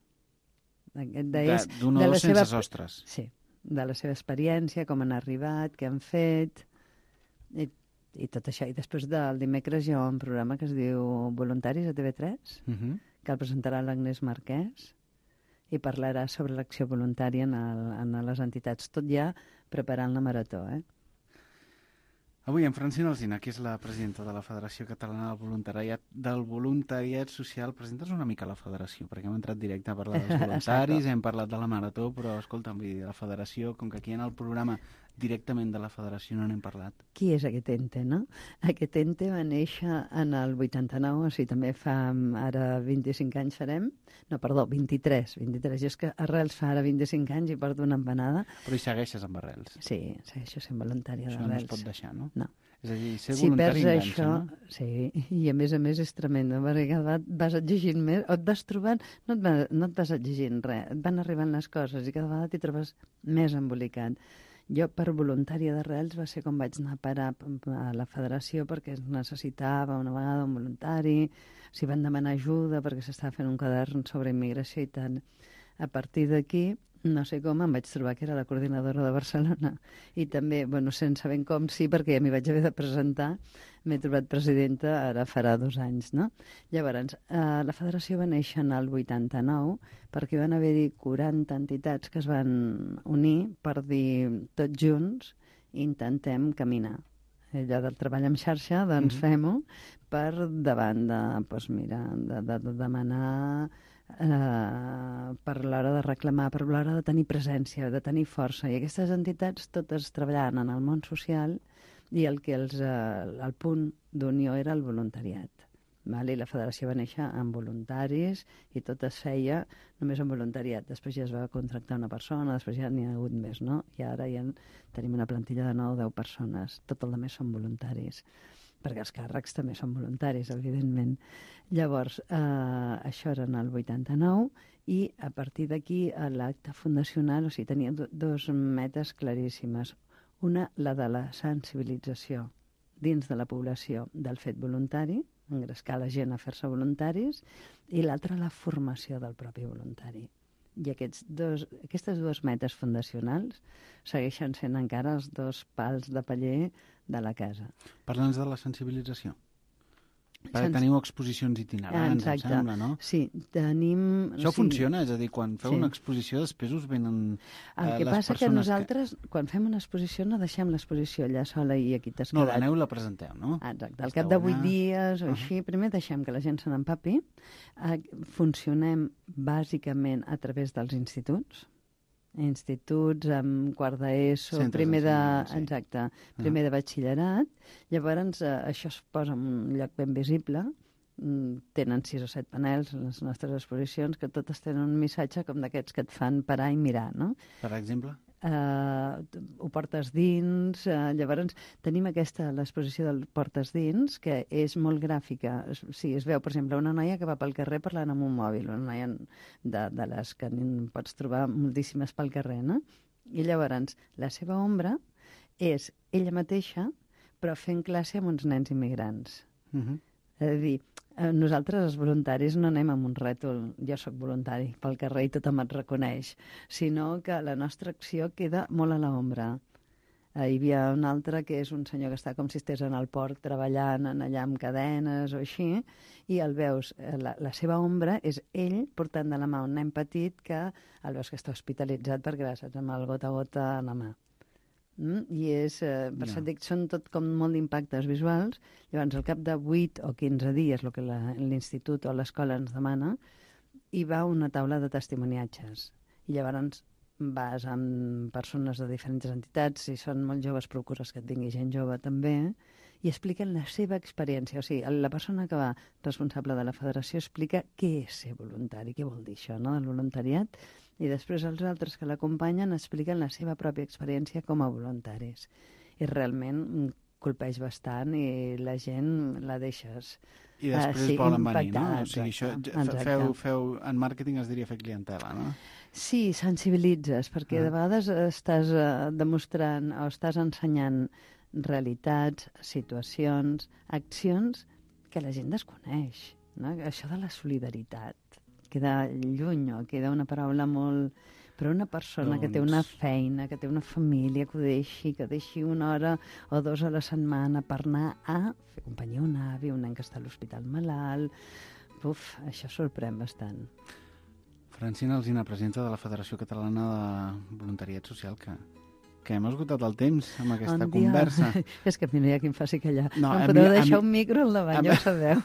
D'una o dos sense sostres. Sí, de la seva experiència, com han arribat, què han fet, i tot això. I després del dimecres hi ha un programa que es diu Voluntaris a TV3, que el presentarà l'Agnès Marquès, i parlarà sobre l'acció voluntària en les entitats. Tot ja preparant la Marató, Avui en Francina Alsina, que és la presidenta de la Federació Catalana del Voluntariat Social, presentes una mica la federació, perquè hem entrat directe a parlar dels voluntaris, hem parlat de la Marató, però escolta'm, la federació, com que aquí en el programa directament de la federació no n'hem parlat. Qui és aquest ente, no? Aquest ente va néixer en el 89, o sigui, també fa ara 25 anys farem, no, perdó, 23. Jo és que Arrels fa ara 25 anys i porto una empanada. Però hi segueixes amb Arrels? Sí, segueixo sent voluntària d'Arrels. Això no es pot deixar, no? No. És a dir, ser voluntari enganxa, això, no? Sí, i a més és tremendo, perquè cada vegada vas exigint més, o et vas trobant, no et vas exigint res, et van arribant les coses i cada vegada t'hi trobes més embolicat. Jo, per voluntària d'Arrels, va ser com vaig anar a parar a la federació perquè es necessitava una vegada un voluntari, s'hi van demanar ajuda perquè s'estava fent un quadern sobre immigració i tant. A partir d'aquí, no sé com, em vaig trobar que era la coordinadora de Barcelona i també, sense ben com sí, perquè ja m'hi vaig haver de presentar, m'he trobat presidenta ara farà 2 anys, no? Llavors, la federació va néixer en el 89 perquè van haver-hi 40 entitats que es van unir per dir tots junts intentem caminar. Allò del treball en xarxa, doncs fem-ho per davant de demanar per l'hora de reclamar, per l'hora de tenir presència, de tenir força. I aquestes entitats totes treballaven en el món social i el punt d'unió era el voluntariat. I la federació va néixer amb voluntaris i tot es feia només amb voluntariat. Després ja es va contractar una persona, després ja n'hi ha hagut més, no? I ara ja tenim una plantilla de 9 o 10 persones. Tot el més són voluntaris, perquè els càrrecs també són voluntaris, evidentment. Llavors, això era en el 89 i a partir d'aquí l'acte fundacional, o sigui, tenia 2 metes claríssimes. Una, la de la sensibilització dins de la població del fet voluntari, engrescar la gent a fer-se voluntaris, i l'altra, la formació del propi voluntari. I aquestes 2 metes fundacionals segueixen sent encara els 2 pals de paller de la casa. Parla'ns de la sensibilització. Teniu exposicions itinerants, em sembla, no? Sí, tenim... Això funciona? És a dir, quan feu una exposició després us venen les persones... El que passa que nosaltres, quan fem una exposició, no deixem l'exposició allà sola i aquí t'has quedat. No, l'aneu i la presenteu, no? Exacte. Al cap de 8 dies o així, primer deixem que la gent se n'empapi. Funcionem bàsicament a través dels instituts amb quart d'ESO, primer de batxillerat. Llavors, això es posa en un lloc ben visible. Tenen 6 o 7 panels les nostres exposicions que totes tenen un missatge com d'aquests que et fan parar i mirar, no? Per exemple? Ho portes dins. Llavors tenim l'exposició del portes dins, que és molt gràfica. Sí, es veu, per exemple, una noia que va pel carrer parlant amb un mòbil, una noia de les que pots trobar moltíssimes pel carrer, no? I llavors la seva ombra és ella mateixa, però fent classe amb uns nens immigrants. És a dir, nosaltres, els voluntaris, no anem amb un rètol, jo sóc voluntari pel carrer i tothom et reconeix, sinó que la nostra acció queda molt a l'ombra. Hi havia un altre que és un senyor que està com si estigués en el port treballant allà amb cadenes o així, i el veus, la seva ombra és ell portant de la mà un nen petit que el veus que està hospitalitzat perquè va amb el gota a gota a la mà. I per això dic, són tot com molt d'impactes visuals. Llavors, al cap de 8 o 15 dies, el que l'institut o l'escola ens demana, hi va una taula de testimoniatges. I llavors vas amb persones de diferents entitats, si són molt joves procures que et tingui gent jove també, i expliquen la seva experiència. O sigui, la persona que va responsable de la federació explica què és ser voluntari, què vol dir això, no?, del voluntariat, i després els altres que l'acompanyen expliquen la seva pròpia experiència com a voluntaris. I realment colpeix bastant i la gent la deixes I després volen venir, no? O sigui, exacte. feu, en màrqueting es diria fer clientela, no? Sí, sensibilitzes, perquè de vegades estàs demostrant o estàs ensenyant realitats, situacions, accions que la gent desconeix, no? Això de la solidaritat queda lluny, o queda una paraula molt... Però una persona que té una feina, que té una família, que deixi una hora o dues a la setmana per anar a fer companyia a un avi, un nen que està a l'hospital malalt... això sorprèn bastant. Francina Alsina, presidenta de la Federació Catalana de Voluntariat Social, que hem esgotat el temps amb aquesta conversa. És que mira, qui em faci callar. No, em podeu deixar un micro al davant, ja ho sabeu.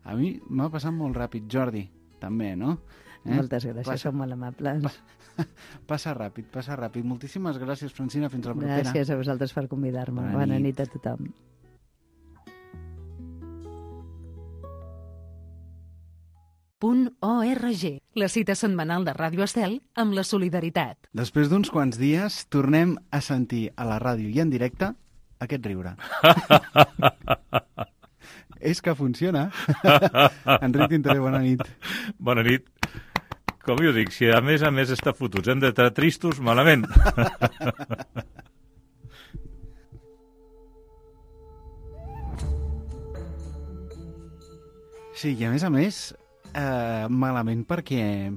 A mi m'ha passat molt ràpid, Jordi, també, no? Moltes gràcies, sou molt amables. Passa ràpid. Moltíssimes gràcies, Francina, fins la propera. Gràcies a vosaltres per convidar-me. Bona nit a tothom. .org, la cita setmanal de Ràdio Estel amb la solidaritat. Després d'uns quants dies tornem a sentir a la ràdio i en directe aquest riure. És que funciona. Enric Tintaré, bona nit. Bona nit. Com jo dic, si a més està fotuts, hem d'estar tristos, malament. Sí, i a més, malament perquè...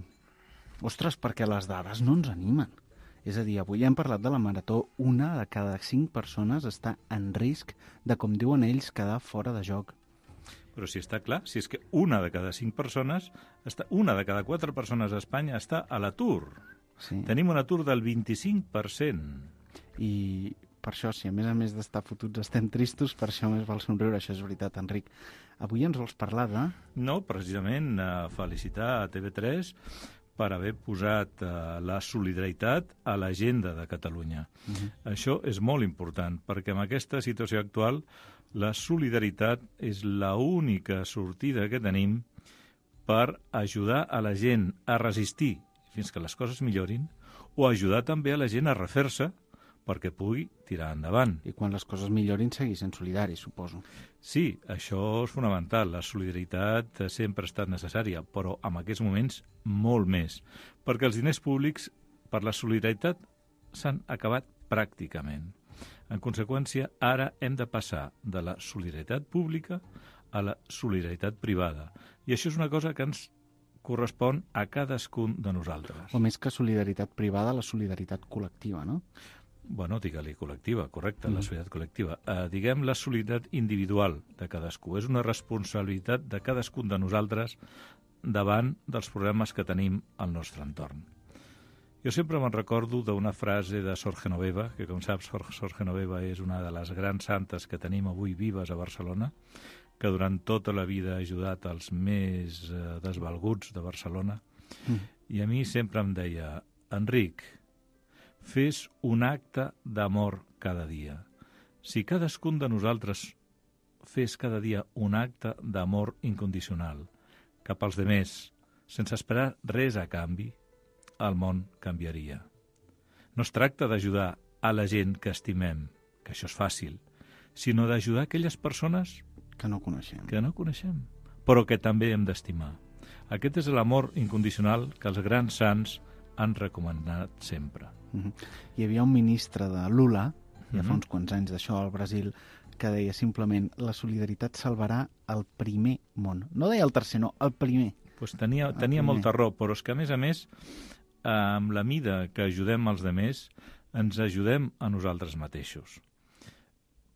Ostres, perquè les dades no ens animen. És a dir, avui hem parlat de la marató, 1 de cada 5 persones està en risc de, com diuen ells, quedar fora de joc. Però si està clar, si és que 1 de cada 5 persones, 1 de cada 4 persones a Espanya està a l'atur. Sí. Tenim un atur del 25%. I per això, si a més d'estar fotuts estem tristos, per això més val somriure, això és veritat, Enric. Avui ens vols parlar de... No, precisament felicitar a TV3 per haver posat la solidaritat a l'agenda de Catalunya. Això és molt important, perquè en aquesta situació actual la solidaritat és l'única sortida que tenim per ajudar a la gent a resistir fins que les coses millorin o ajudar també a la gent a refer-se perquè pugui tirar endavant. I quan les coses millorin, seguir sent solidaris, suposo. Sí, això és fonamental. La solidaritat sempre ha estat necessària, però en aquests moments molt més, perquè els diners públics per la solidaritat s'han acabat pràcticament. En conseqüència, ara hem de passar de la solidaritat pública a la solidaritat privada. I això és una cosa que ens correspon a cadascun de nosaltres. O més que solidaritat privada, la solidaritat col·lectiva, no? Bueno, digue-li col·lectiva, correcte, la solidaritat col·lectiva. Diguem la solidaritat individual de cadascú. És una responsabilitat de cadascun de nosaltres davant dels problemes que tenim al nostre entorn. Jo sempre me'n recordo d'una frase de Sor Genoveva, que com saps, Sor Genoveva és una de les grans santes que tenim avui vives a Barcelona, que durant tota la vida ha ajudat els més desvalguts de Barcelona. I a mi sempre em deia, Enric, fes un acte d'amor cada dia. Si cadascun de nosaltres fes cada dia un acte d'amor incondicional cap als demés, sense esperar res a canvi, el món canviaria. No es tracta d'ajudar a la gent que estimem, que això és fàcil, sinó d'ajudar aquelles persones que no coneixem, però que també hem d'estimar. Aquest és l'amor incondicional que els grans sants han recomanat sempre. Hi havia un ministre de Lula, ja fa uns quants anys d'això al Brasil, que deia simplement la solidaritat salvarà el primer món. No deia el tercer, no, el primer. Pues tenia molta raó, però és que a més, amb la mida que ajudem els demés, ens ajudem a nosaltres mateixos.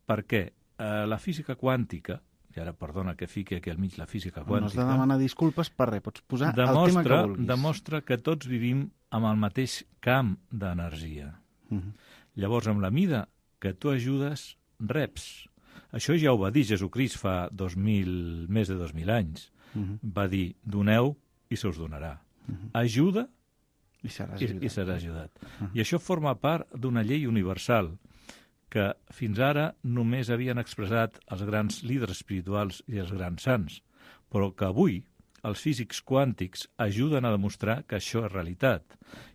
Per què? La física quàntica, i ara perdona que fiqui aquí al mig la física quàntica... No has de demanar disculpes per res, pots posar el tema que vulguis. Demostra que tots vivim amb el mateix camp d'energia. Llavors, amb la mida que tu ajudes, reps. Això ja ho va dir Jesucrist fa més de 2.000 anys. Va dir, doneu i se us donarà. Ajuda I seràs ajudat. I això forma part d'una llei universal que fins ara només havien expressat els grans líders espirituals i els grans sants, però que avui els físics quàntics ajuden a demostrar que això és realitat.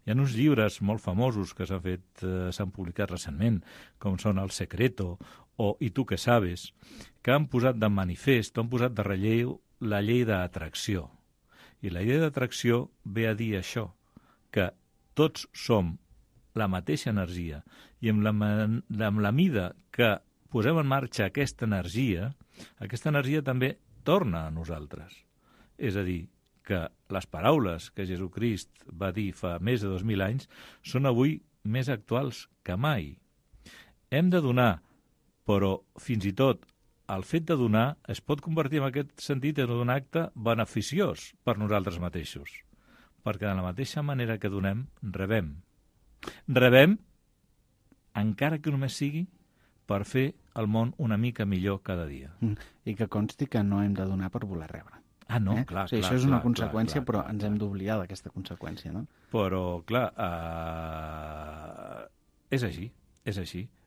Hi ha uns llibres molt famosos que s'han publicat recentment, com són El Secreto o I tu què sabes, que han posat de manifest, han posat de relleu la llei d'atracció. I la llei d'atracció ve a dir això, que tots som la mateixa energia i amb la mida que posem en marxa aquesta energia també torna a nosaltres. És a dir, que les paraules que Jesucrist va dir fa més de 2.000 anys són avui més actuals que mai. Hem de donar, però fins i tot el fet de donar es pot convertir en aquest sentit en un acte beneficiós per nosaltres mateixos, perquè de la mateixa manera que donem, rebem. Rebem, encara que només sigui per fer el món una mica millor cada dia. I que consti que no hem de donar per voler rebre. Ah, no, clar. O sigui, això és una conseqüència, però ens hem d'oblidar d'aquesta conseqüència, no? Però, clar, és així.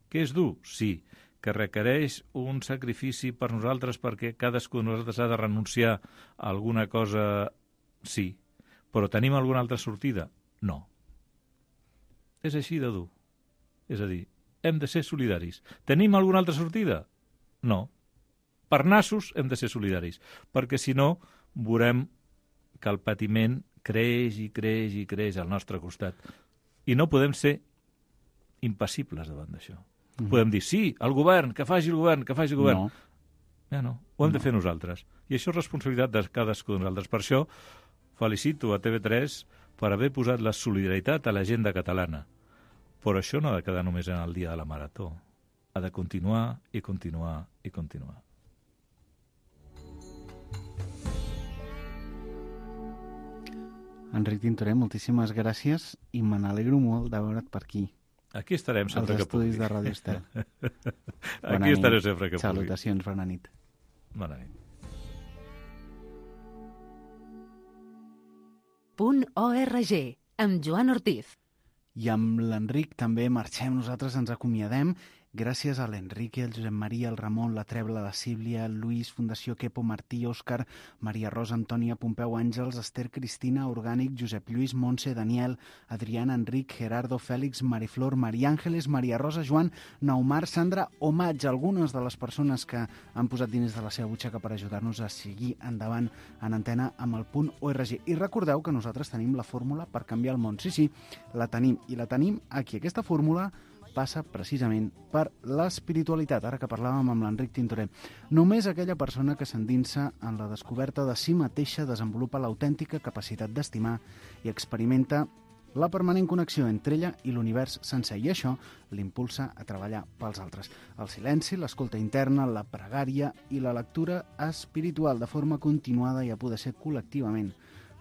Que és dur? Sí. Que requereix un sacrifici per nosaltres perquè cadascú de nosaltres ha de renunciar a alguna cosa? Sí. Però tenim alguna altra sortida? No. És així de dur. És a dir, hem de ser solidaris. Tenim alguna altra sortida? No. Per nassos hem de ser solidaris, perquè si no veurem que el patiment creix i creix i creix al nostre costat. I no podem ser impassibles davant d'això. Podem dir, sí, el govern, que faci el govern, que faci el govern. No. Ja no, ho hem de fer nosaltres. I això és responsabilitat de cadascú de nosaltres. Per això felicito a TV3 per haver posat la solidaritat a l'agenda catalana. Però això no ha de quedar només en el dia de la marató. Ha de continuar i continuar i continuar. Enric Tintorer, moltíssimes gràcies i me n'alegro molt de veure't per aquí. Aquí estarem sempre que pugui. Els estudis de Ràdio Estel. Aquí estaré sempre que pugui. Salutacions, bona nit. Bona nit. .org, amb Joan Ortiz. I amb l'Enric també marxem, nosaltres ens acomiadem. Gràcies a l'Enrique, el Josep Maria, el Ramon, la Trebla, la Sílvia, el Lluís, Fundació Quepo, Martí, Òscar, Maria Rosa, Antònia, Pompeu, Àngels, Esther, Cristina, Orgànic, Josep Lluís, Montse, Daniel, Adriana, Enric, Gerardo, Fèlix, Mariflor, Maria Àngeles, Maria Rosa, Joan, Naumar, Sandra o Maig, algunes de les persones que han posat diners de la seva butxaca per ajudar-nos a seguir endavant en antena amb el .org. I recordeu que nosaltres tenim la fórmula per canviar el món. Sí, la tenim, i la tenim aquí. Aquesta fórmula passa precisament per l'espiritualitat, ara que parlàvem amb l'Enric Tintorer. Només aquella persona que s'endinsa en la descoberta de si mateixa desenvolupa l'autèntica capacitat d'estimar i experimenta la permanent connexió entre ella i l'univers sencer, i això l'impulsa a treballar pels altres. El silenci, l'escolta interna, la pregària i la lectura espiritual de forma continuada i a poder ser col·lectivament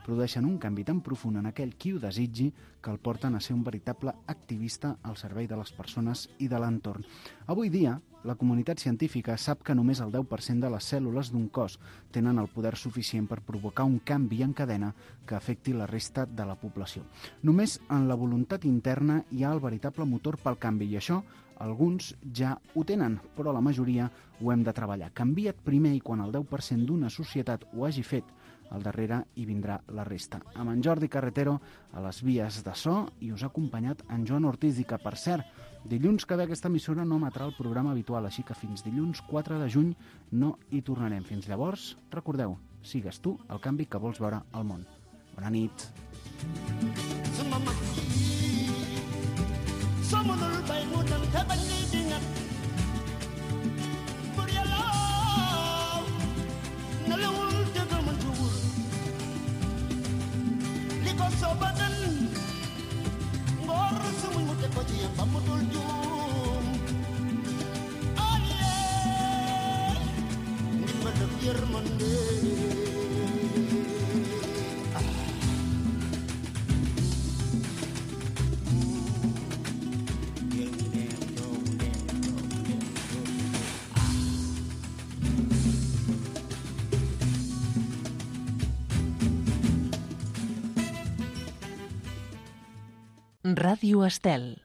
produeixen un canvi tan profund en aquell qui ho desitgi que el porten a ser un veritable activista al servei de les persones i de l'entorn. Avui dia, la comunitat científica sap que només el 10% de les cèl·lules d'un cos tenen el poder suficient per provocar un canvi en cadena que afecti la resta de la població. Només en la voluntat interna hi ha el veritable motor pel canvi, i això alguns ja ho tenen, però la majoria ho hem de treballar. Canvia't primer i quan el 10% d'una societat ho hagi fet, al darrere hi vindrà la resta. Amb en Jordi Carretero a les vies de so i us ha acompanyat en Joan Ortiz, i que, per cert, dilluns que ve aquesta emissora no emetrà el programa habitual, així que fins dilluns 4 de juny no hi tornarem. Fins llavors, recordeu, sigues tu el canvi que vols veure al món. Bona nit. Sobadan ngor sumuy mu teko ci yam bamudul juum aye ndimbal ak yermande Ràdio Estel.